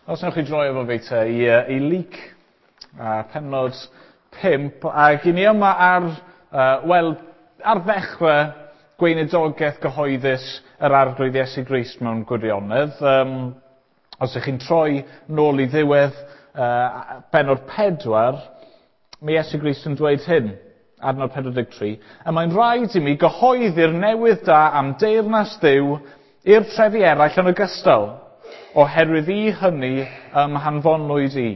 Os newch chi droi efo fi te i Luc, pennod 5, ac i ni yma ar, wel, ar ddechrau gweinidogaeth gyhoeddus yr Arglwydd Iesu Grist mewn gwirionedd. Os ydych chi'n troi nôl i ddiwedd pennod 4, mae Iesu Grist yn dweud hyn, adnod 43, "A mae'n rhaid i mi gyhoeddi'r newydd da am deyrnas Dduw i'r trefi eraill yn ogystal, oherwydd i hynny hanfonwyd i."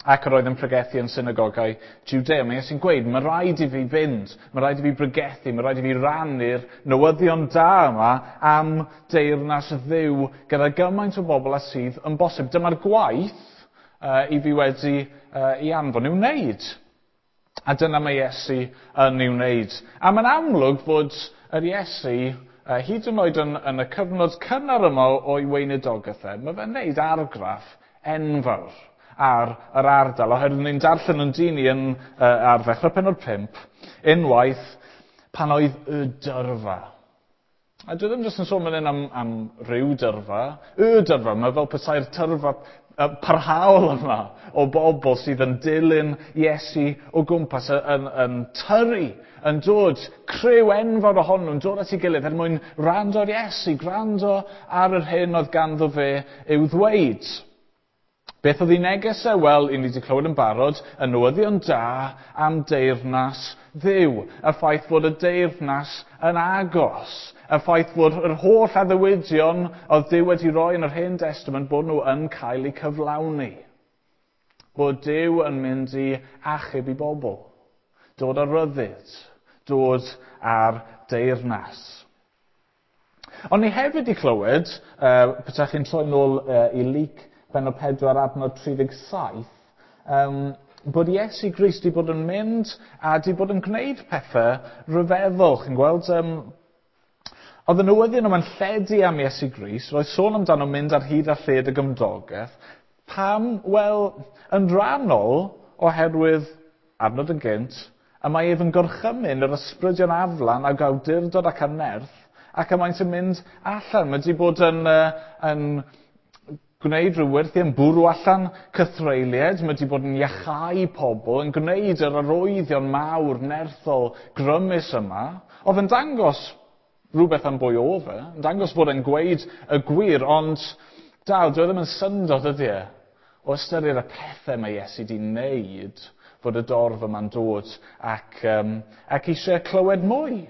Ac yr oedd yn pregethu yn synagogau Judea. Mae Iesu'n gweud, mae rhaid i fi fynd, mae rhaid i fi bregethu, mae rhaid i fi rannu'r newyddion da yma am deyrnas Dduw gyda gymaint o bobl â sydd yn bosib. Dyma'r gwaith i fi wedi i anfon i'w wneud. A dyna mae Iesu yn ei wneud. A mae'n amlwg fod yr Iesu, hyd yn oed yn y cyfnod cynnar yma o'i weinidogaeth e, mae fe'n wneud argraff enfawr ar yr ardal, oherwydd ni'n darllen yn dyn ni yn, ar ddechrau pennod 5, unwaith pan oedd y dyrfa. A dwi ddim jyst yn sôn fan hyn am ryw dyrfa, y dyrfa, mae fel petai'r tyrfa parhaol yma o bobl sydd yn dilyn Iesu o gwmpas, yn tyrru, yn dod, criw enfawr ohonyn nhw'n dod at ei gilydd er mwyn gwrando ar Iesu, gwrando ar yr hyn oedd ganddo fe i'w ddweud. Beth oedd ei neges e? Wel, i ni wedi clywed yn barod, y newyddion da am deyrnas Dduw. Y ffaith fod y deyrnas yn agos. Y ffaith fod yr holl addewidion oedd Duw wedi rhoi yn yr Hen Testament bod nhw yn cael eu cyflawni. Bod Duw yn mynd i achub i bobl. Dod ar ryddid. Dod ar deyrnas. Ond ni hefyd i clywed, petach chi'n troi nôl i Luc pennod 4 adnod 37, bod Iesu Grist wedi bod yn mynd a wedi bod yn gwneud pethau rhyfeddol. Chi'n gweld, oedd y newyddion yma'n lledu am Iesu Grist, roedd sôn amdano mynd ar hyd a lled y gymdogaeth. Pam? Wel, yn rhannol oherwydd, adnod yn gynt, y mae ef yn gorchymyn yr ysbrydion aflan ag awdurdod ac anerth, ac y maent yn mynd allan. Mae wedi bod yn gwneud rhyw wyrthiau, yn bwrw allan cythreuliaid, mae wedi bod yn iachau pobl, yn gwneud yr arwyddion mawr, nerthol, grymus yma. Oedd yn dangos rhywbeth am bwy oedd e, yn dangos bod e'n gweud y gwir, ond dal, dyw e ddim yn syndod ydy e, o ystyried y pethau mae Iesu wedi wneud, fod y dorf yma'n dod ac eisiau clywed mwy.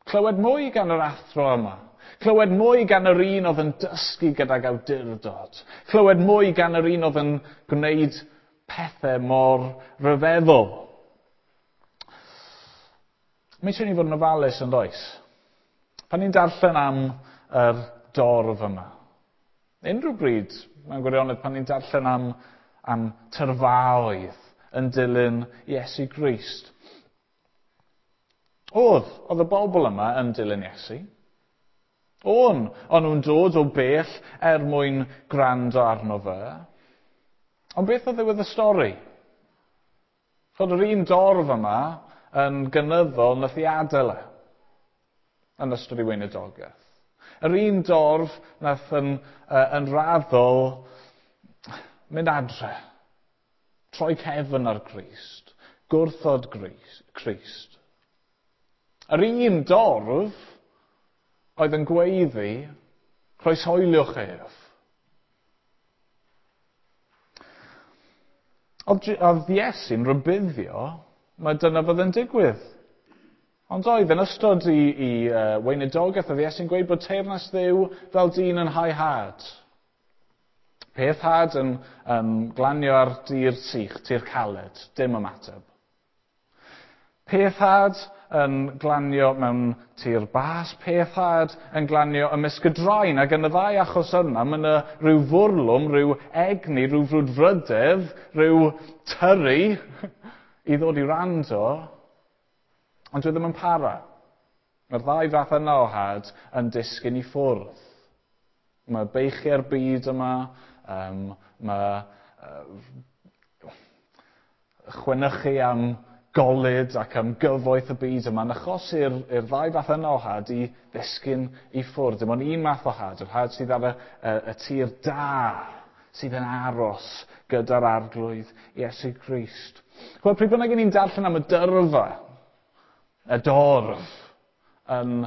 Clywed mwy gan yr athro yma. Clywed mwy gan yr un oedd yn dysgu gydag awdurdod. Clywed mwy gan yr un oedd yn gwneud pethau mor rhyfeddol. Mae eisiau ni fod yn ofalus yn does? Pan ni'n darllen am yr dorf yma, unrhyw bryd, mewn gwirionedd, pan ni'n darllen am tyrfaoedd yn dilyn Iesu Grist. Oedd y bobl yma yn dilyn Iesu. O'n nhw'n dod o bell er mwyn gwrando arno fe. Ond beth oedd ddiwedd y stori? Fod yr un dorf yma yn gynyddol nath i adael e yn ystod ei weinidogaeth. Yr un dorf nath yn raddol mynd adre, troi cefn ar Grist, gwrthod Crist. Yr un dorf oedd yn gweiddi, croeshoeliwch ef. Oedd Iesu'n rhybuddio, mae dyna fydd yn digwydd. Ond oedd yn ystod i weinidogaeth, oedd Iesu'n gweud bod teyrnas Dduw fel dyn yn hau had. Peth had yn glanio ar dir sych, tir caled, dim ymateb. Peth had yn glanio mewn tir bas, peth had yn glanio ymysg y draen, ac yn y ddau achos yna, mae yna rhyw fwrlwm, rhyw egni, rhyw frwdfrydedd, rhyw tyrru i ddod i rando, ond dwi ddim yn para. Mae'r ddau fath yna o had yn disgyn i ffwrdd. Mae beichiau'r byd yma, mae chwenychu am golud ac am gyfoeth y byd yma yn achosi'r ddau fath yna o had i ddisgyn i ffwrdd. Dim ond un math o had, yr had sydd ar y tir da, sydd yn aros gyda'r Arglwydd Iesu Grist. Chwel, pryd bynnag ni'n darllen am y dyrfa, y dorf, yn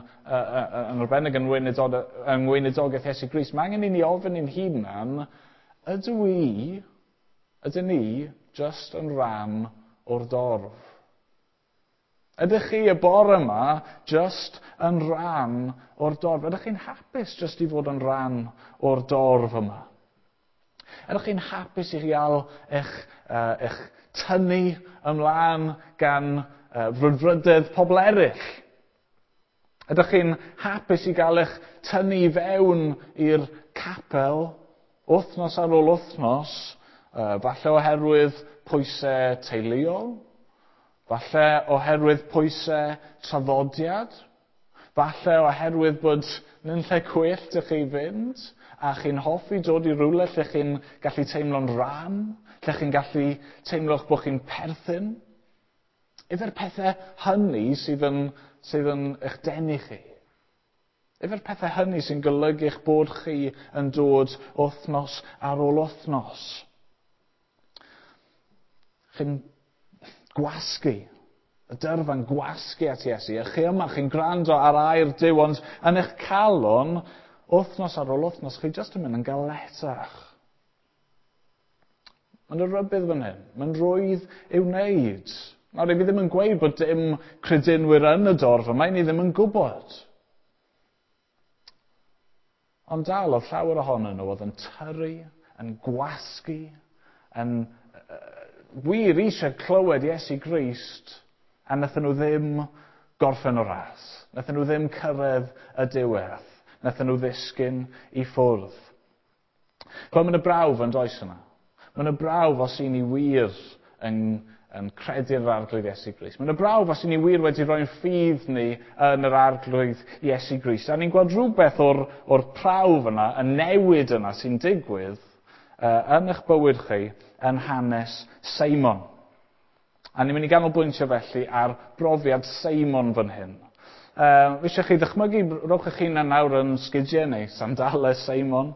arbennig yn ngweinidogaeth Iesu Grist, mae angen i ni ofyn i'n hunan, ydyn ni just yn rhan o'r dorf? Ydych chi y bore yma just yn rhan o'r dorf? Ydych chi'n hapus just i fod yn rhan o'r dorf yma? Ydych chi'n hapus i gael eich tynnu ymlaen gan frwdfrydedd pobl eraill? Ydych chi'n hapus i gael eich tynnu i fewn i'r capel wythnos ar ôl wythnos, falle oherwydd pwysau teuluol, falle oherwydd pwysau traddodiad, falle oherwydd bod yn lle gwyllt i chi fynd, a chi'n hoffi dod i rywle lle chi'n gallu teimlo'n rhan, lle chi'n gallu teimlo'ch bod chi'n perthyn. Yfe'r pethau hynny sydd yn eich denu chi? Yfe'r pethau hynny sy'n golygu eich bod chi yn dod wythnos ar ôl wythnos? Chi'n gwasgu, y dyrfa'n gwasgu at Iesu. A chi yma, chi'n gwrando ar air Duw, ond yn eich calon, wythnos ar ôl wythnos, chi jyst yn mynd yn galetach. Mae'n rybudd fan hyn. Mae'n rwydd i'w wneud. Nawr, fi ddim yn gweud bod dim credinwyr yn y dorf yma, ni ddim yn gwybod. Ond dal oedd llawer ohonyn nhw oedd yn tyrru, yn gwasgu, yn wir eisiau clywed Iesu Grist, a wnaethon nhw ddim gorffen o ras. Wnaethon nhw ddim cyrraedd y diwedd. Wnaethon nhw ddisgyn i ffwrdd. Wel, mae'n y brawf yn does yna. Mae'n y brawf os i ni wir yn credu'r Arglwydd Iesu Grist. Mae'n y brawf os i ni wir wedi rhoi'n ffydd ni yn yr Arglwydd Iesu Grist. A ni'n gweld rhywbeth o'r prawf yna, y newid yna sy'n digwydd yn eich bywyd chi yn hanes Seimon. A ni'n mynd i ganolbwyntio felly ar brofiad Seimon fan hyn. Fi eisiau chi ddychmygu, rowch eich hunan nawr yn sgidiau neu sandalau Seimon.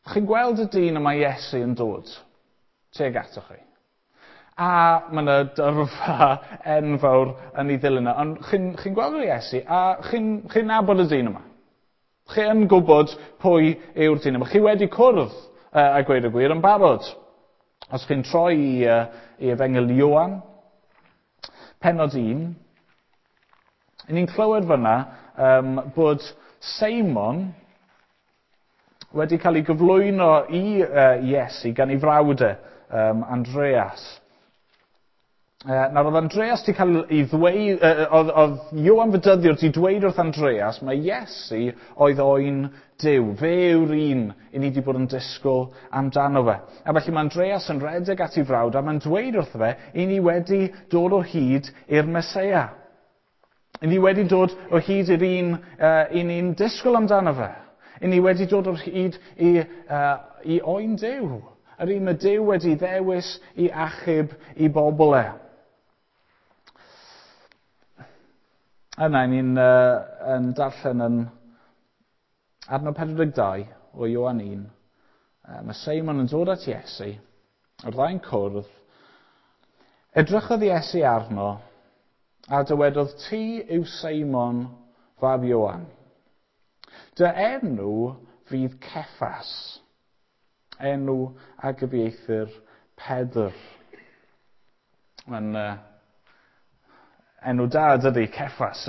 Chi'n gweld y dyn yma Iesu yn dod tuag atoch chi. A mae yna dyrfa enfawr yn ei ddilyn yna. Ond chi'n gweld yr Iesu a chi'n nabod y dyn yma. Chi yn gwybod pwy yw'r dyn yma. Chi wedi cwrdd a gweud y gwir yn barod. Os chi'n troi i Efengyl Ioan, pennod 1, ni'n clywed fyna bod Seimon wedi cael ei gyflwyno i Iesu gan ei frawd e, Andreas. Nawr oedd Andreas wedi cael ei ddweud, oedd Ioan Fedyddiwr wedi dweud wrth Andreas, mae Iesu oedd oen Duw. Fe yw'r un i ni wedi bod yn disgwyl amdano fe. A felly mae Andreas yn rhedeg at ei frawd a mae'n dweud wrtho fe, i ni wedi dod o hyd i'r Meseia. I ni wedi dod o hyd i'r un i ni'n disgwyl amdano fe. I ni wedi dod o hyd i oen Duw. Yr un mae Duw wedi ddewis i achub i bobl e. Yna, ni'n yn darllen yn adnod 42 o Ioan 1. Mae Seimon yn dod at Iesu, o'r ddau'n cwrdd. Edrychodd Iesu arno a dywedodd, ti yw Seimon fab Ioan. Dy enw fydd Ceffas, enw a gyfieithir Pedr. Mae'n enw da dydy, Ceffas,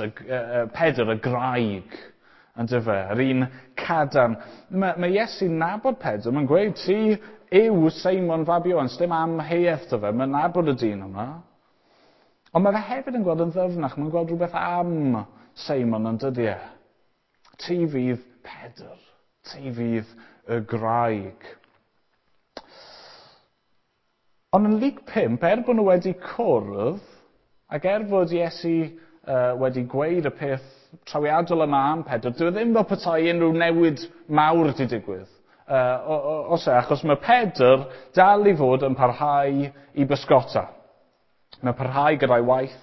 Pedr, y graig, yndyfe, yr un cadarn. Mae Iesu'n nabod Pedr, mae'n gweud, ti yw Seimon fab Ioan, sdim amheuaeth 'da fe, mae'n nabod y dyn yma. Ond mae fe hefyd yn gweld yn ddyfnach, mae'n gweld rhywbeth am Seimon yn dydy e. Ti fydd Pedr, ti fydd y graig. Ond yn Luc 5, er bod nhw wedi cwrdd, ac er fod Iesu wedi gweud y peth trawiadol yma am Pedr, dyw e ddim fel petai unrhyw newid mawr wedi digwydd. Achos mae Pedr dal i fod yn parhau i bysgota. Mae'n parhau gyda'i waith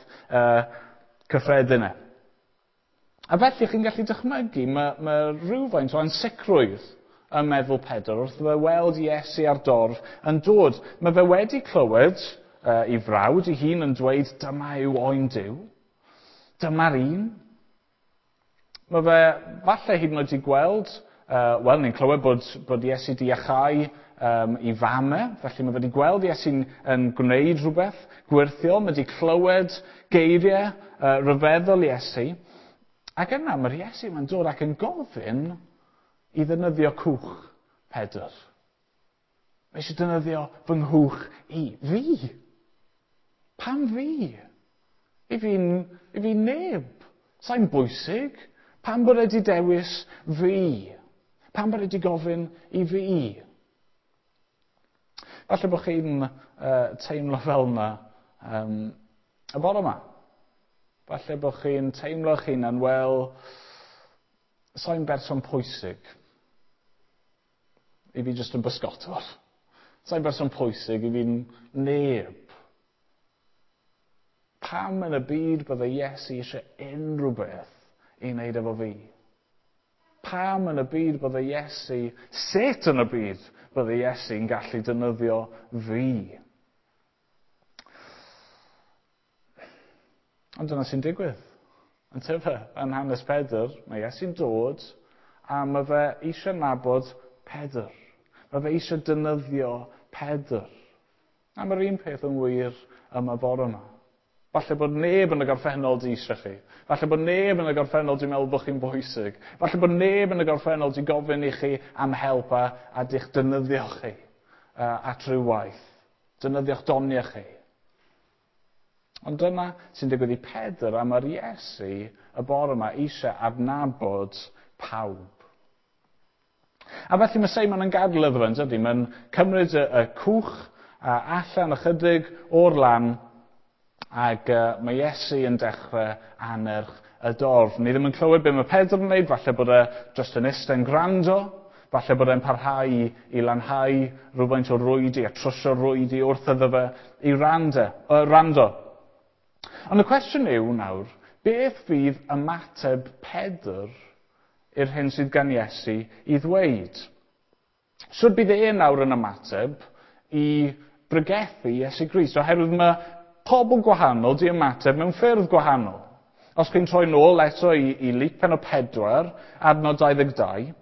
cyffredin e. A felly chi'n gallu dychmygu, mae rhywfaint o ansicrwydd Yn meddwl Pedr wrth fe weld Iesu ar dorf yn dod. Mae fe wedi clywed ei frawd ei hun yn dweud dyma yw oen Duw. Dyma'r un. Mae fe falle hyd yn oed wedi gweld, wel, ni'n clywed bod Iesu di iachau i fam e, felly mae fe wedi gweld Iesu'n yn gwneud rhywbeth gwyrthiol, mae wedi clywed geiriau rhyfeddol Iesu, ac yna mae'r Iesu mae'n dod ac yn gofyn i ddefnyddio cwch Pedr. Mae eisiau defnyddio fy nghwch i. Fi? Pam fi? I fi neb. Sa'n bwysig. Pam bod wedi dewis fi? Pam bod wedi gofyn i fi? Falle bod chi'n teimlo fel yna y bore yma. Falle bod chi'n teimlo eich hunan, wel, sa'n berson pwysig. I fi jyst yn bysgotwr. Sa'n berson pwysig, i fi'n neb. Pam yn y byd bydde Iesu eisiau unrhyw beth i wneud efo fi? Pam yn y byd bydde Iesu, sut yn y byd bydde Iesu'n gallu defnyddio fi? Ond dyna sy'n digwydd. Yn tyfa, yn hanes Pedr, mae Iesu'n dod a mae fe eisiau nabod Pedr. Mae fe eisiau defnyddio Pedr. A mae'r un peth yn wir yma bore yma. Falle bod neb yn y gorffennol di eisiau chi. Falle bod neb yn y gorffennol di meddwl bod chi'n bwysig. Falle bod neb yn y gorffennol di gofyn i chi am help a di'ch defnyddio chi at rhyw waith. Defnyddio'ch doniau chi. Ond dyna sy'n digwydd i Pedr a mae'r Iesu y bore yma eisiau adnabod pawb. A felly mae Seimon yn gadael iddo fe, yn dydi? Mae'n cymryd y cwch allan ychydig o'r lan ac mae Iesu yn dechrau annerch y dorf. Ni ddim yn clywed be mae Pedr yn wneud, falle bod e jyst yn eistedd yn gwrando, falle bod e'n parhau i lanhau rhywfaint o rwydi a trwsio rwydi wrth iddo fe i rando. Ond y cwestiwn yw nawr, beth fydd ymateb Pedr i'r hyn sydd gan Iesu i ddweud? Sut bydd e nawr yn ymateb i bregethu Iesu Grist? Oherwydd mae pobl gwahanol di ymateb mewn ffyrdd gwahanol. Os chi'n troi nôl eto i Luc pennod 4, adnod 22,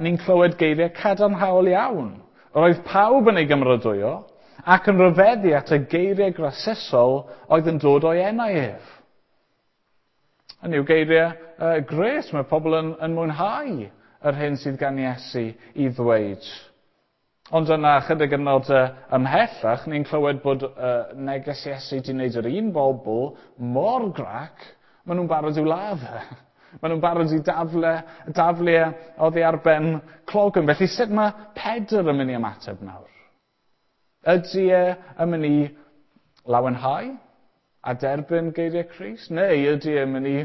ni'n clywed geiriau cadarnhaol iawn. Roedd pawb yn ei gymeradwyo ac yn rhyfeddu at y geiriau grasusol oedd yn dod o'i enau ef. Hynny yw geiriau gres, mae pobl yn mwynhau yr hyn sydd gan Iesu i ddweud. Ond yna chydig yn nod ymhellach, ni'n clywed bod neges Iesu wedi wneud yr un bobl mor grac, maen nhw'n barod i'w ladd e. Maen nhw'n barod i daflu oddi ar ben clogwyn. Felly sut mae Pedr yn mynd i ymateb nawr? Ydy e yn mynd i lawenhau a derbyn geiriau Crist? Neu ydy e'n mynd i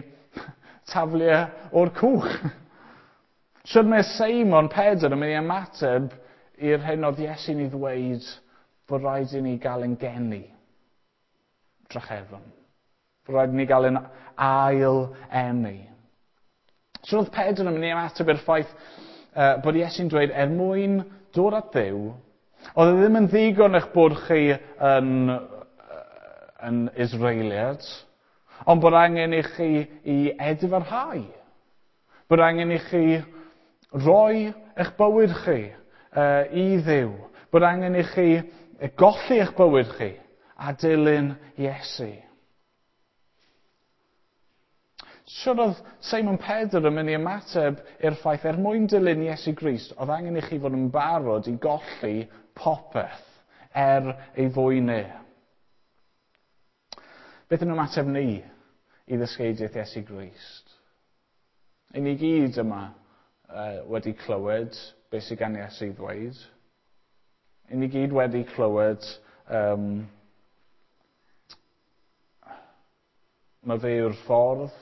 taflu e o'r cwch? Sut mae Seimon Pedr yn mynd i ymateb i'r hyn oedd Iesu'n ei ddweud bod rhaid i ni gael ein geni drachefn? Bod rhaid i ni gael ein ail eni. Sut oedd Pedr yn mynd i ymateb i'r ffaith bod Iesu'n dweud er mwyn dod at Dduw, oedd e ddim yn ddigon eich bod chi yn Israeliad, ond bod angen i chi i edifarhau. Bod angen i chi roi eich bywyd chi i Dduw. Bod angen i chi golli eich bywyd chi a dilyn Iesu. Sut oedd Seimon Pedr yn mynd i ymateb i'r ffaith er mwyn dilyn Iesu Grist, oedd angen i chi fod yn barod i golli popeth er ei fwyn e? Beth yn ymateb ni i ddysgeidiaeth Iesu Grist? I ni gyd yma wedi clywed beth sydd gan Iesu i ddweud. I ni gyd wedi clywed mae fe yw'r ffordd,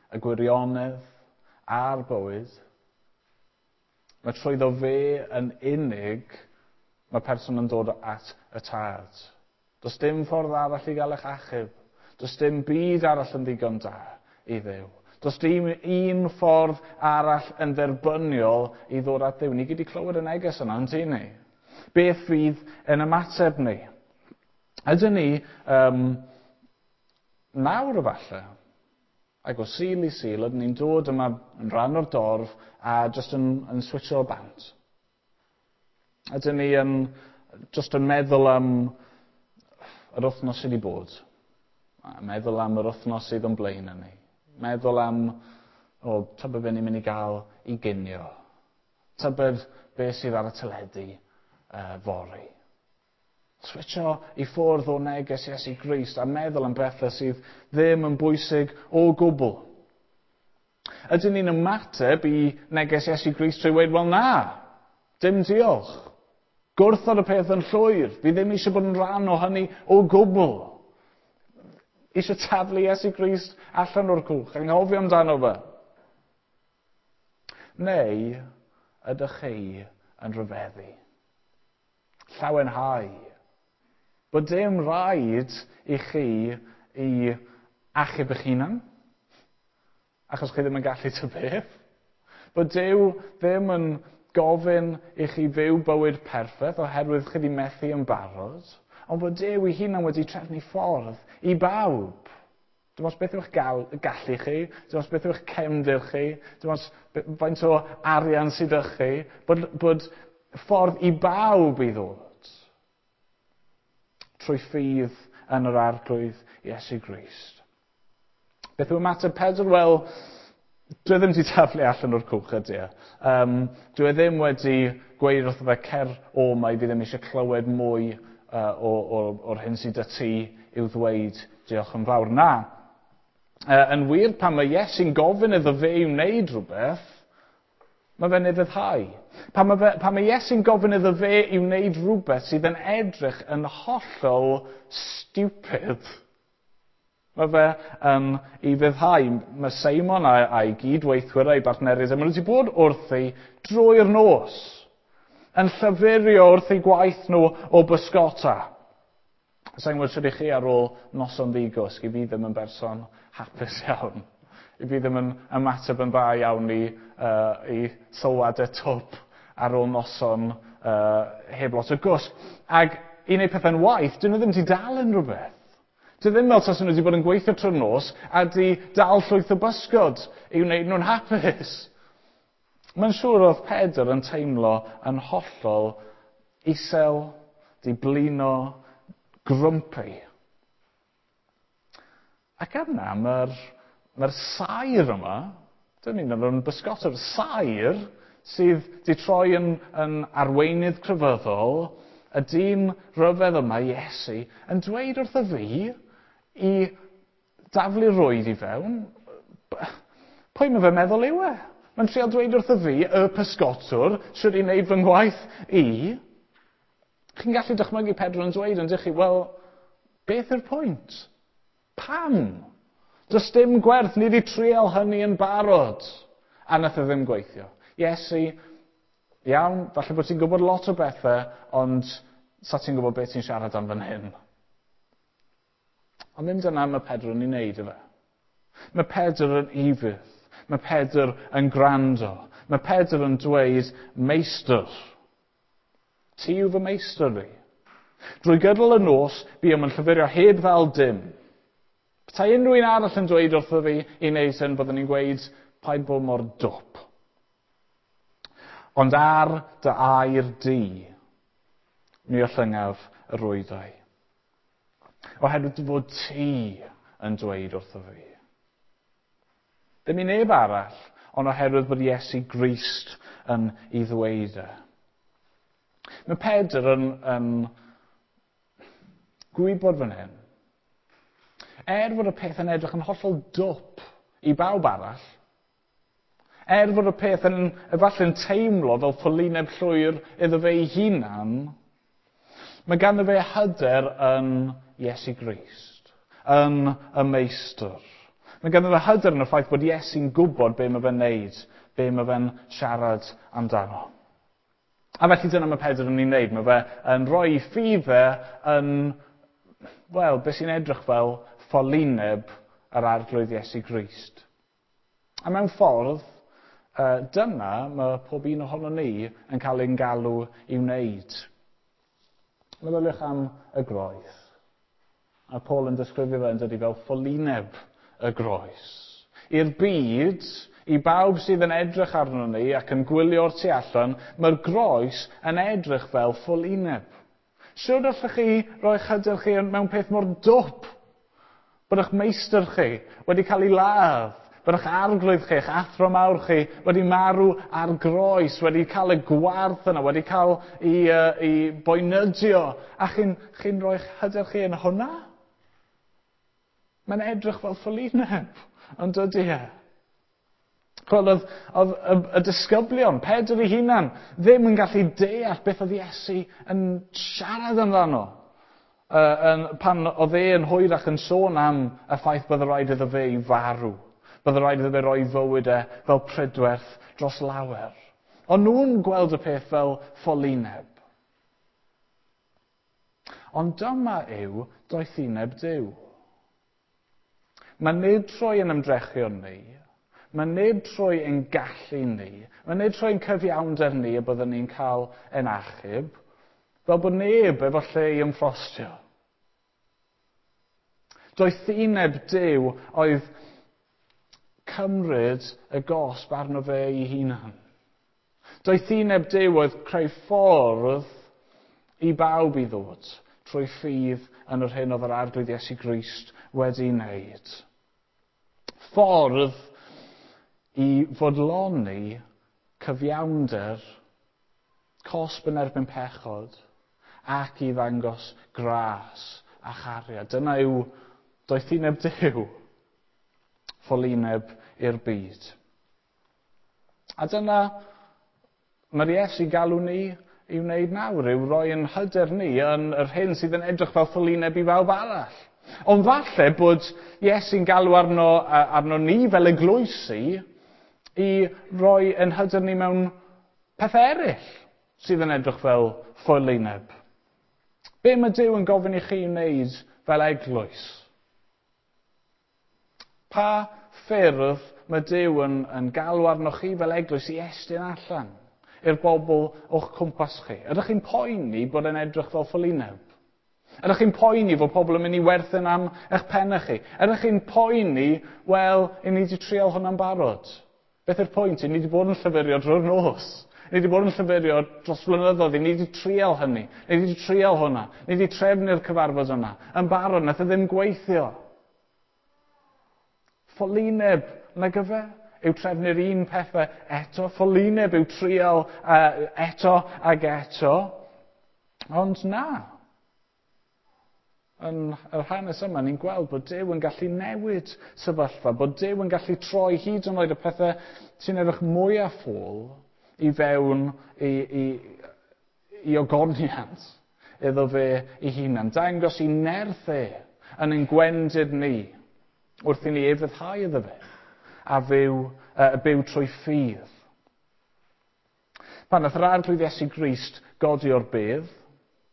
y gwirionedd a'r bywyd. Mae trwyddo fe yn unig mae person yn dod at y Tad. Does dim ffordd arall i gael eich achub. Does dim byd arall yn ddigon da i Dduw. Does dim un ffordd arall yn dderbyniol i ddod at Dduw. Ni gyd 'di clywed y neges yna, yn ni? Beth fydd yn ymateb ni? Ydyn ni nawr efallai, ac o Sul i Sul, ydyn ni'n dod yma yn rhan o'r dorf a jyst yn switcho bant? Ydyn ni yn jyst yn meddwl am yr wythnos sydd wedi bod? A meddwl am yr wythnos sydd o'n blaen ni? Meddwl am, o, tybed be ni'n mynd i gael i ginio? Tybed be sydd ar y teledu fory? Switcho i ffwrdd o neges Iesu Grist a meddwl am bethau sydd ddim yn bwysig o gwbl. Ydyn ni'n ymateb i neges Iesu Grist trwy weud, wel na, dim diolch. Gwrthod y peth yn llwyr. Fi ddim eisiau bod yn rhan o hynny o gwbl. Eisiau taflu Iesu Grist allan o'r cwch, anghofio amdano fe. Neu ydych chi yn rhyfeddu? Llawenhau. Bod dim rhaid i chi i achub eich hunan, achos chi ddim yn gallu ta beth. Bod Duw ddim yn gofyn i chi fyw bywyd perffaith oherwydd chi wedi methu yn barod, ond bod Duw ei hunan wedi trefnu ffordd i bawb. Dim ots beth yw'ch gallu chi, dim ots beth yw'ch cefndir chi, dim ots faint o arian sydd â chi, bod ffordd i bawb i ddod trwy ffydd yn yr Arglwydd Iesu Grist. Beth yw ymateb Pedr? Wel, dwi e ddim wedi taflu allan o'r cwch ydy e. Dwi e ddim wedi gweud wrtho fe, cer o mai, fi ddim eisiau clywed mwy o'r hyn sydd â ti i'w ddweud, diolch yn fawr. Na. Yn wir, pan mae Iesu'n gofyn iddo fe i wneud rhywbeth, mae fe'n ufuddhau. Pan mae Iesu'n gofyn iddo fe i wneud rhywbeth sydd yn edrych yn hollol stupid, mae fe yn ufuddhau. Mae Seimon a'i gydweithwyr a'i bartneriaid, maen nhw wedi bod wrthi drwy'r nos, yn llyfurio wrth eu gwaith nhw o bysgota. Sa i'n gwybod sut i chi ar ôl noson ddigwsg, i fi ddim yn berson hapus iawn. I fi ddim yn ymateb yn dda iawn i sylwadau twp ar ôl noson heb lot o gwsg. Ac i wneud pethau'n waith, dyn nhw ddim wedi dal unrhyw beth. Dwi ddim fel tasen nhw wedi bod yn gweithio trwy'r nos a di dal llwyth o bysgod i wneud nhw'n hapus. Mae'n siŵr oedd Pedr yn teimlo yn hollol isel, di blino, grumpy. Ac yna mae'r saer yma, dyn ni'n meddwl yn bysgotwr, saer sydd wedi troi yn arweinydd crefyddol, y dyn rhyfedd yma, Iesu, yn dweud wrtho fi i daflu rwyd i fewn. Pwy mae fe'n meddwl yw e? Mae'n trial dweud wrtho fi, y pysgotwr, sydd i wneud fy ngwaith i. Chi'n gallu dychmygu Pedr yn dweud, yn dych chi, wel, beth yw'r pwynt? Pam? Does dim gwerth, ni wedi trial hynny yn barod. A nath e ddim gweithio. Iesu, iawn, falle bod ti'n gwybod lot o bethau, ond sa ti'n gwybod beth ti'n siarad am fan hyn. Ond ddim dyna mae Pedr yn ei wneud efe. Mae Pedr yn ufudd. Mae Pedr yn gwrando. Mae Pedr yn dweud, meistr, ti yw fy meistr i. Drwy gydol y nos, buom yn llyfurio heb ddal dim. Petai unrhyw un arall yn dweud wrtho fi i wneud hyn, byddwn i'n gweud, paid bod mor dwp. Ond ar dy air di, mi ollyngaf y rwydau. Oherwydd dy fod ti yn dweud wrtho fi. Ddim i neb arall, ond oherwydd bod Iesu Grist yn ei ddweud e. Mae Pedr yn gwybod fan hyn. Er fod y peth yn edrych yn hollol dwp i bawb arall, er fod y peth yn efallai'n teimlo fel ffolineb llwyr iddo fe ei hunan, mae ganddo fe hyder yn Iesu Grist, yn y meistr. Mae ganddo fe hyder yn y ffaith bod Iesu'n gwybod be mae fe'n neud, be mae fe'n siarad amdano. A felly dyna mae Pedr yn ei wneud. Mae fe yn rhoi ffydd e yn, wel, beth sy'n edrych fel ffolineb yr Arglwydd Iesu Grist. A mewn ffordd, dyna mae pob un ohono ni yn cael ein galw i wneud. Meddyliwch am y groes. A Paul yn disgrifio fe yn dydy fel ffolineb y groes. I'r byd, i bawb sydd yn edrych arno ni ac yn gwylio'r tu allan, mae'r groes yn edrych fel ffolineb. Siwr allwch chi roi'ch hyder chi mewn peth mor dwp? Bod eich meistr chi wedi cael ei ladd, bod eich arglwydd chi, eich athro mawr chi wedi marw ar groes, wedi cael y gwarth yna, wedi cael ei boenydio, a chi'n chi rhoi'ch hyder chi yn hwnna? Mae'n edrych fel ffolineb, ond dydy e. Chwel, oedd y disgyblion, Pedr ei hunan, ddim yn gallu deall beth oedd Iesu yn siarad amdano. Pan oedd e yn hwyrach yn sôn am y ffaith bydd rhaid iddo fe i farw. Bydd rhaid iddo fe roi fywyd e fel prydwerth dros lawer. Ond nhw'n gweld y peth fel ffolineb. Ond dyma yw doethineb Duw. Mae nid trwy yn ymdrechion ni, mae nid trwy ein gallu ni, mae nid trwy ein cyfiawnder ni y byddwn ni'n cael ein achub, fel bod neb efo lle i ymffrostio. Doethineb Duw oedd cymryd y gosb arno fe ei hunan. Doethineb Duw oedd creu ffordd i bawb i ddod trwy ffydd yn yr hyn oedd yr Arglwydd Iesu Grist wedi wneud. Ffordd i fodloni cyfiawnder, cosb yn erbyn pechod, ac i ddangos gras a chariad. Dyna yw doethineb Duw, ffolineb i'r byd. A dyna mae'r Iesu galw ni i wneud nawr, yw roi yn hyder ni yn yr hyn sydd yn edrych fel ffolineb i bawb arall. Ond falle bod Iesu'n galw arno ni fel eglwysi i roi yn hyder ni mewn pethau eraill sydd yn edrych fel ffolineb. Be mae Duw yn gofyn i chi wneud fel eglwys? Pa ffyrdd mae Duw yn galw arnoch chi fel eglwys i estyn allan i'r bobl o'ch cwmpas chi? Ydych chi'n poeni bod yn edrych fel ffolineb? Ydych chi'n poeni fod pobl yn mynd i werthin am eich pennau chi? Ydych chi'n poeni, wel, i ni wedi trial hwnna'n barod? Beth yw'r pwynt? I ni wedi bod yn llyfurio drwy'r nos. Ni wedi bod yn llyfurio dros flynyddoedd. I ni wedi trial hynny. Ni wedi trial hwnna. Ni wedi trefnu'r cyfarfod yna. Yn barod, nath e ddim gweithio. Ffolineb, nag yfe? Yw trefnu'r un pethau eto. Ffolineb yw trial eto ag eto. Ond na. Yn yr hanes yma, ni'n gweld bod Duw yn gallu newid sefyllfa, bod Duw yn gallu troi hyd yn oed y pethau sy'n edrych mwyaf ffôl i fewn i ogoniant iddo fe ei hunan. Dangos i nerth e yn ein gwendid ni wrth i ni ufuddhau iddo fe a byw trwy ffydd. Pan nath yr Arglwydd Iesu Grist godi o'r bedd,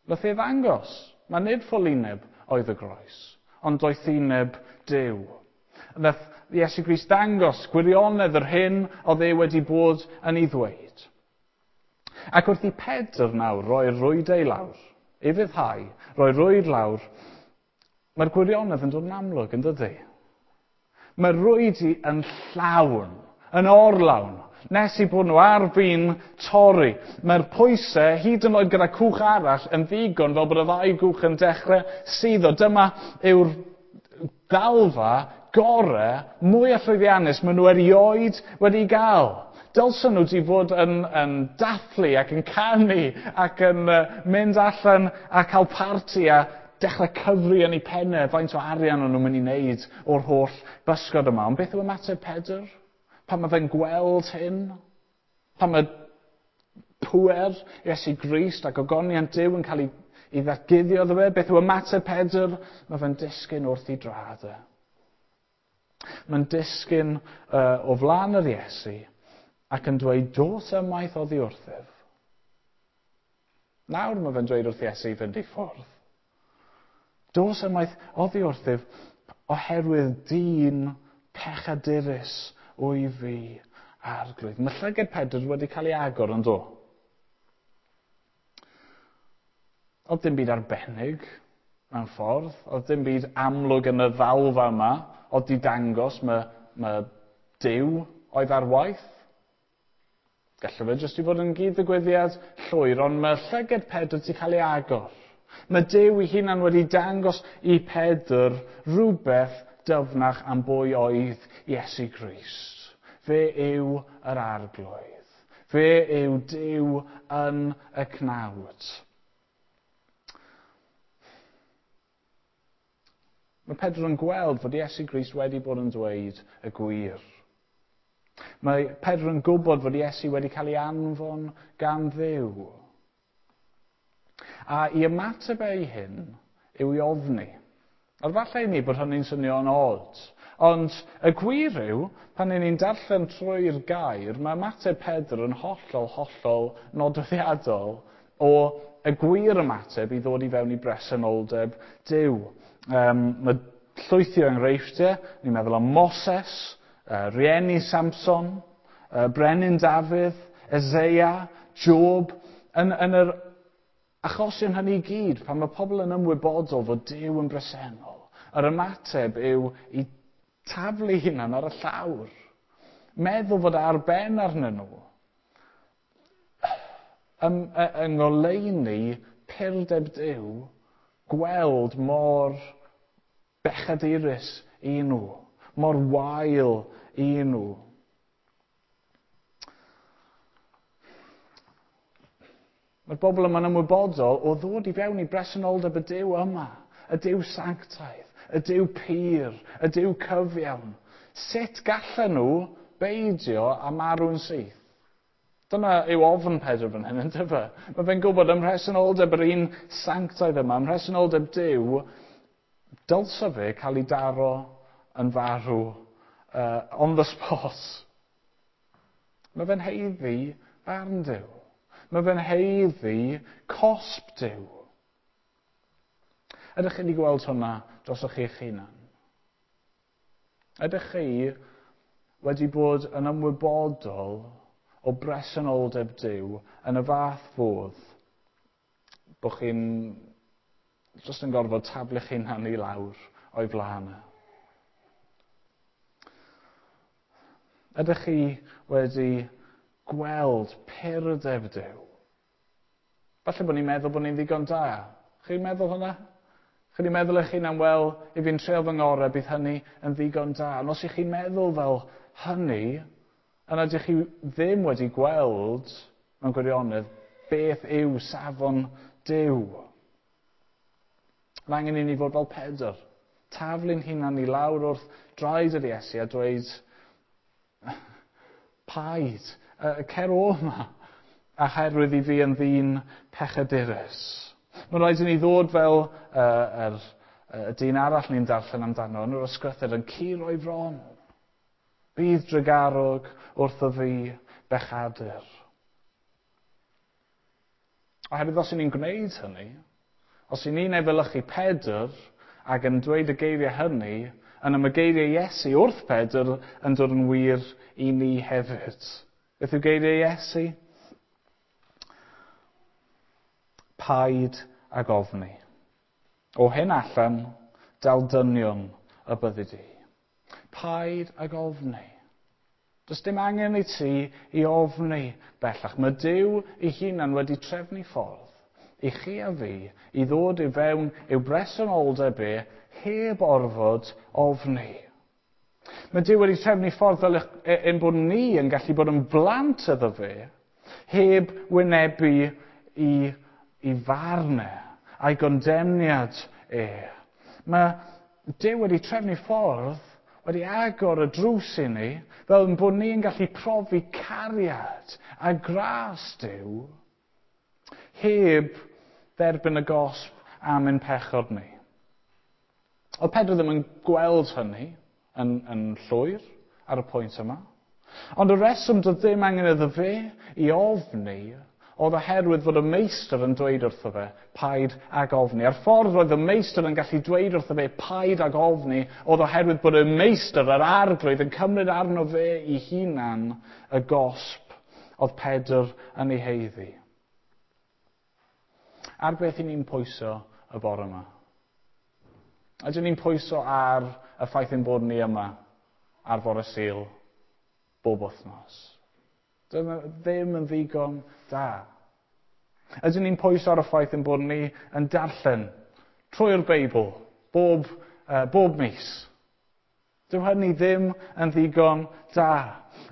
nath e ddangos. Mae nid ffolineb oedd y groes, ond doethineb Duw. Nath Iesu Grist ddangos gwirionedd yr hyn oedd e wedi bod yn ei ddweud. Ac wrth i Pedr nawr roi'r rwydau lawr, ufuddhau, roi rwyd lawr, mae'r gwirionedd yn dod yn amlwg, yn dydy? Mae'r rwyd yn llawn, yn orlawn, nes i bod nhw ar fin torri. Mae'r pwysau, hyd yn oed gyda cwch arall, yn ddigon fel bod y ddau gwch yn dechrau suddo. Dyma yw'r ddalfa gore mwyaf llwyddiannus maen nhw erioed wedi gael. Dylsen nhw wedi bod yn dathlu ac yn canu ac yn mynd allan a cael parti a dechrau cyfri yn eu pennau faint o arian o'n nhw'n mynd i wneud o'r holl bysgod yma. Ond beth yw ymateb Pedr? Pan mae fe'n gweld hyn? Pan mae pŵer Iesu Grist ac ogoniant Duw yn cael ei ddatguddio iddo fe? Beth yw ymateb Pedr? Mae fe'n disgyn wrth ei draed e. Mae'n disgyn o flaen yr Iesu ac yn dweud, dos ymaith oddi wrthyf. Nawr mae fe'n dweud wrth Iesu i fynd i ffwrdd. Dos ymaith oddi wrthyf oherwydd dyn pechadurus wyf fi, Arglwydd. Mae llygad Pedr wedi cael ei agor yn do. Oedd dim byd arbennig mewn ffordd. Oedd dim byd amlwg yn y ddalfa yma. Oedd di dangos mae Duw oedd ar waith. Gallai fe jyst i fod yn gyd-ddigwyddiad llwyr, ond mae llygad Pedr wedi cael ei agor. Mae Duw ei hunan wedi dangos i Pedr rhywbeth dyfnach am bwy oedd Iesu Grist. Fe yw yr Arglwydd. Fe yw Duw yn y cnawd. Mae Pedr yn gweld fod Iesu Grist wedi bod yn dweud y gwir. Mae Pedr yn gwybod fod Iesu wedi cael ei anfon gan Dduw. A i ymateb ei hyn yw i ofni. A falle i ni bod hynny'n swnio'n od. Ond y gwir yw, pan 'y ni'n darllen trwy'r gair, mae ymateb Pedr yn hollol, hollol nodweddiadol o y gwir ymateb i ddod i fewn i bresenoldeb Duw. Mae llwythi o enghreifftiau, ni'n meddwl am Moses, rieni Samson, Brenin Dafydd, Eseia, Job. Yn yr achosion hynny i gyd, pan mae pobl yn ymwybodol fod Duw yn bresennol, yr ymateb yw i taflu hunan ar y llawr. Meddwl fod ar ben arnyn nhw. Yng ngoleuni purdeb Duw, gweld mor bechadurus i nhw, mor wael i nhw. Mae'r bobl yma'n ymwybodol o ddod i fewn i bresenoldeb y Duw yma, y Duw sanctaidd, y Duw pur, y Duw cyfiawn. Sut gallen nhw beidio a marw'n syth? Dyna yw ofn Pedr fan hyn, yndyfe? Mae fe'n gwybod ym mhresenoldeb yr un sanctaidd yma, ym mhresenoldeb Duw, dylse fe cael ei daro yn farw on the spot. Mae fe'n haeddu barn Duw. Mae fe'n haeddu cosb Duw. Ydych chi wedi gweld hwnna drosoch chi'ch hunan? Ydych chi wedi bod yn ymwybodol o bresenoldeb Duw yn y fath fodd bod chi'n jyst yn gorfod taflu'ch hunan i lawr o'i flaen e? Ydych chi wedi gweld purdeb Duw? Falle bod ni'n meddwl bod ni'n ddigon da. Chi'n meddwl hwnna? Chi wedi meddwl eich hunan, wel, i fi'n treial fy ngorau, bydd hynny yn ddigon da. Ond os ych chi'n meddwl fel hynny, yna ydych chi ddim wedi gweld mewn gwirionedd beth yw safon Duw. Mae angen i ni fod fel Pedr. Taflu'n hunan i lawr wrth draed yr Iesu a dweud, paid, cer o yma, a herwydd i fi yn ddyn pechadurus. Mae'n rhaid i ni ddod fel y dyn arall ni'n darllen amdano yn yr ysgrythur yn curo ei fron. Bydd drugarog wrtho fi bechadur. Oherwydd os 'y ni'n gwneud hynny, os 'y ni'n efelychu Pedr ac yn dweud y geiriau hynny, yna mae geiriau Iesu wrth Pedr yn dod yn wir i ni hefyd. Beth yw geiriau Iesu? Paid ag ofni. O hyn allan, dal dynion y byddi di. Paid ag ofni. Does dim angen i ti i ofni bellach. Mae Duw ei hunan wedi trefnu ffordd i chi a fi i ddod i fewn i'w bresenoldeb e heb orfod ofni. Mae Duw wedi trefnu ffordd fel ein bod ni yn gallu bod yn blant iddo fe heb wynebu i farn e a'i gondemniad e. Mae Duw wedi trefnu ffordd, wedi agor y drws i ni, fel ein bod ni'n gallu profi cariad a gras Duw heb dderbyn y gosb am ein pechod ni. Oedd Pedr ddim yn gweld hynny yn llwyr ar y pwynt yma. Ond y reswm doedd ddim angen iddo fe i ofni Oedd oherwydd fod y meistr yn dweud wrtho fe, paid ag ofni. A'r ffordd roedd y meistr yn gallu dweud wrtho fe, paid ag ofni, oedd oherwydd bod y meistr, yr arglwydd, yn cymryd arno fe ei hunan y gosb oedd Pedr yn ei heiddi. Ar beth i ni'n pwyso y bore yma? Ydyn ni'n pwyso ar y ffaith ein bod ni yma ar fore Sul bob wythnos? Dyna ddim yn ddigon da. Ydyn ni'n pwyso ar y ffaith ein bod ni yn darllen trwy'r Beibl bob mis? Dyw hynny ddim yn ddigon da.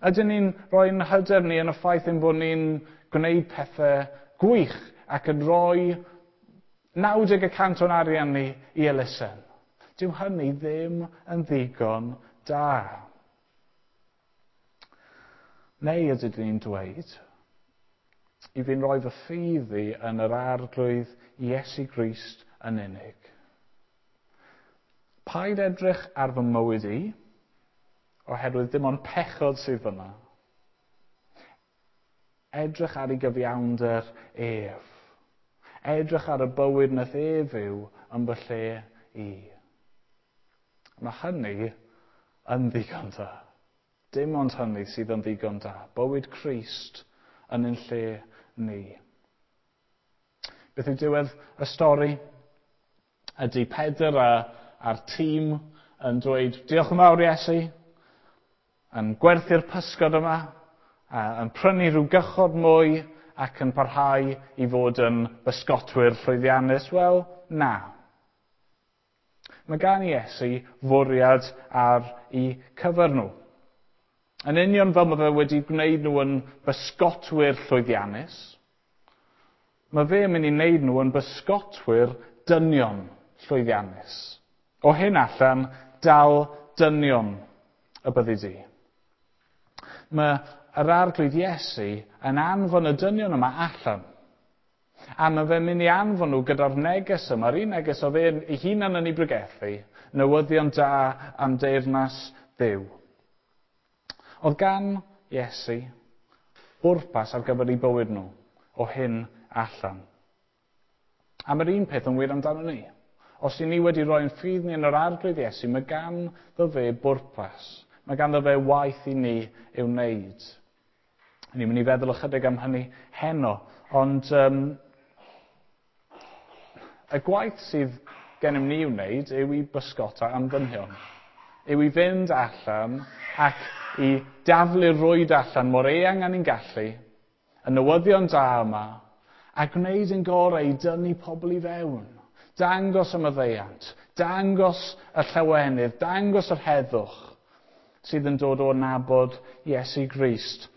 Ydyn ni'n rhoi'n hyder ni yn y ffaith ein bod ni'n gwneud pethau gwych ac yn rhoi 90% o'n arian ni i elusen? Dyw hynny ddim yn ddigon da. Neu ydyn ni'n dweud, i fi'n rhoi fy ffydd i yn yr arglwydd Iesu Grist yn unig. Paid edrych ar fy mywyd i, oherwydd dim ond pechod sydd fyna. Edrych ar ei gyfiawnder ef. Edrych ar y bywyd nath ef fyw yn fy lle i. Mae hynny yn ddigon da. Dim ond hynny sydd yn ddigon da. Bywyd Crist yn ein lle ni. Beth yw diwedd y stori? Ydy Pedr a'r tîm yn dweud, diolch yn fawr Iesu, yn gwerthu'r pysgod yma, yn prynu rhyw gychod mwy ac yn parhau i fod yn bysgotwyr llwyddiannus? Wel, na. Mae gan Iesu fwriad ar eu cyfer nhw. Yn union fel mae fe wedi gwneud nhw yn bysgotwyr llwyddiannus, mae fe yn mynd i wneud nhw yn bysgotwyr dynion llwyddiannus. O hyn allan, dal dynion y byddi di. Mae yr arglwydd Iesu yn anfon y dynion yma allan. A mae fe'n mynd i anfon nhw gyda'r neges yma, yr un neges oedd e'n ei hunan yn ei bregethu, newyddion da am deyrnas Dduw. Oedd gan Iesu bwrpas ar gyfer eu bywyd nhw o hyn allan. A mae'r un peth yn wir amdano ni. Os i ni wedi rhoi'n ffydd ni yn yr arglwydd Iesu, mae ganddo fe bwrpas. Mae ganddo fe waith i ni i'w wneud. Ni'n mynd i feddwl ychydig am hynny heno, ond y gwaith sydd gennym ni i'w wneud yw i bysgota am ddynion. Yw i fynd allan ac i daflu'r rwyd allan mor eang â ni'n gallu, y newyddion da yma, a gwneud yn gorau i dynnu pobl i fewn. Dangos y maddeuant, dangos y llawenydd, dangos yr heddwch sydd yn dod o nabod Iesu Grist.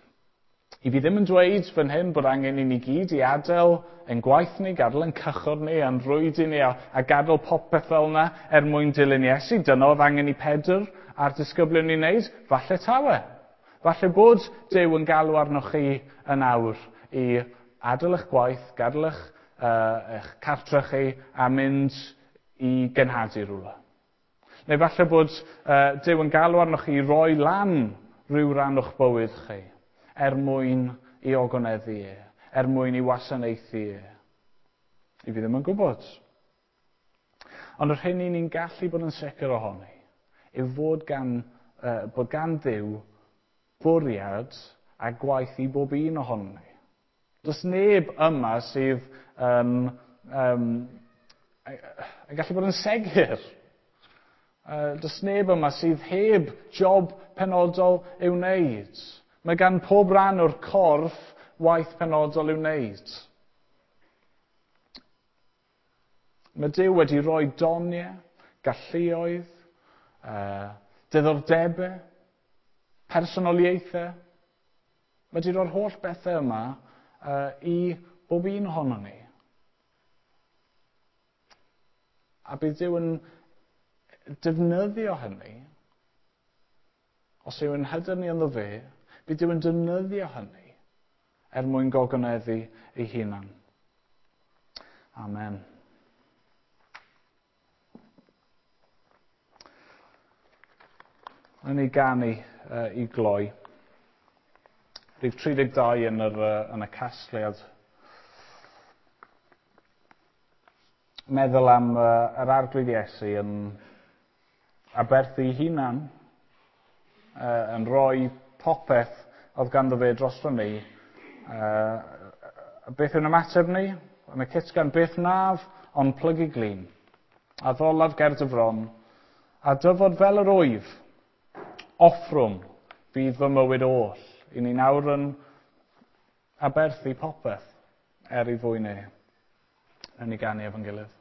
I fi ddim yn dweud fan hyn bod angen i ni gyd i adael ein gwaith ni, gadael ein cychod ni, a'n rwydi ni, a gadael popeth fel yna er mwyn dilyn Iesu. Dyna oedd angen i Pedr a'r disgyblion ni wneud. Falle tawe. Falle bod Duw yn galw arnoch chi yn awr i adael eich gwaith, gadael eich cartre chi a mynd i genhadu rhywle. Neu falle bod Duw yn galw arnoch chi i roi lan rhyw ran o'ch bywyd chi er mwyn i ogoneddu e, er mwyn i wasanaethu e. I fi ddim yn gwybod. Ond yr hyn i ni'n gallu bod yn sicr ohoni yw fod gan Dduw bwriad a gwaith i bob un ohonon ni. Does neb yma sydd yn gallu bod yn segur. Does neb yma sydd heb job penodol i'w wneud. Mae gan pob rhan o'r corff waith penodol i'w wneud. Mae Duw wedi rhoi doniau, galluoedd, diddordebau, personoliaethau. Mae wedi rhoi'r holl bethau yma i bob un ohonon ni. A bydd Duw yn defnyddio hynny, os yw yn hyder ni ynddo fe, bydd Duw yn defnyddio hynny er mwyn gogoneddu ei hunan. Amen. Wnawn ni ganu i gloi. Rhif 32 yn y casgliad. Meddwl am yr Arglwydd Iesu yn aberthu ei hunan, yn rhoi popeth oedd ganddo fe drosto ni. Beth yw'n ymateb ni? Yn y cytgan, beth naf, ond plygu glin. A ddolaf ger dy fron, a dyfod fel yr wyf, offrwm fydd fy mywyd oll. I ni nawr yn aberthu popeth er ei fwyn e. Yn ei ganu efo'n gilydd.